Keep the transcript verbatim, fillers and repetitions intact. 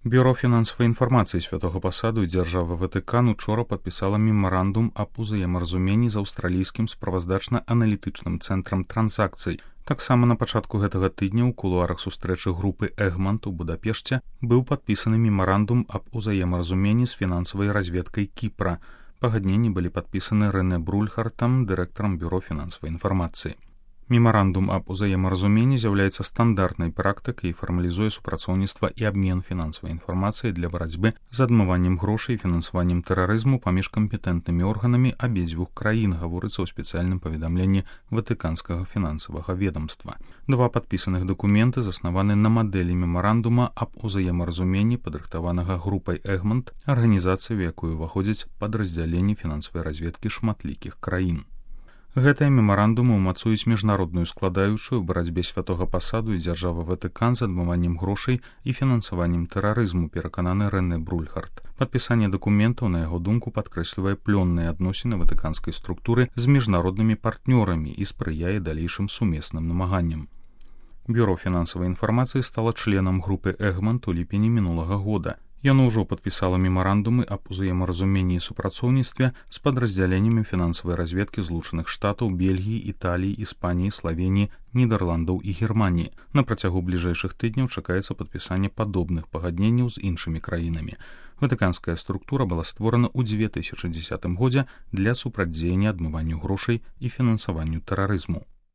Бюро фінансавай інфармацыі Святога Пасаду і дзяржавы Ватыкан учора падпісала мемарандум аб узаемаразуменні з аўстралійскім справаздачна-аналітычным цэнтрам транзакцый. Таксама на пачатку гэтага тыдня ў кулуарах сустрэчы групы Эгмонт у Будапешце быў падпісаны мемарандум аб узаемаразуменні з фінансавай разведкай Кіпра. Пагадненні былі падпісаны Рэне Брульхартам, дырэктарам бюро фінансавай інфармацыі. Мемарандум аб узаемаразуменні з'яўляецца стандартнай практыкай і фармалізуе супрацоўніцтва і абмен фінансавай інфармацыяй для барацьбы з адмываннем грошай і фінансаваннем тэрарызму паміж кампетэнтнымі органамі абедзвюх краін, гаворыцца ў спецыяльным паведамленні Ватыканскага фінансавага ведамства. Два падпісаных дакументы заснаваны на мадэлі мемарандума аб узаемаразуменні, падрыхтаванага групай Эгмонт, арганізацыі, у якую ўваходзяць падраздзяленні фінансавай разведкі шматлікіх краін. Гэтыя мемарандумы ўмацуюць міжнародную складаючую ў барацьбе Святога Пасаду і дзяржавы Ватыкан з адмываннем грошай і фінансаваннем тэрарызму, перакананы Рэне Брульхарт. Падпісанне дакументаў, на яго думку, падкрэслівае плённыя адносіны ватыканскай структуры з міжнароднымі партнёрамі і спрыяе далейшым сумесным намаганням. Бюро фінансавай інфармацыі стала членам групы Эгмонт у ліпені мінулага года. Яно ўжо падпісала мемарандумы аб узаемаразуменні і супрацоўніцтве з падраздзяленнямі фінансавай разведкі Злучаных Штатаў, Бельгіі, Італіі, Іспаніі, Славеніі, Нідерландаў і Германіі. На працягу бліжэйшых тыдняў чакаецца падпісанне падобных пагадненняў з іншымі краінамі. Ватыканская структура была створана ў дзве тысячы дзесятым годзе для супрацьдзеяння адмыванню грошай і фінансаванню тэрарызму.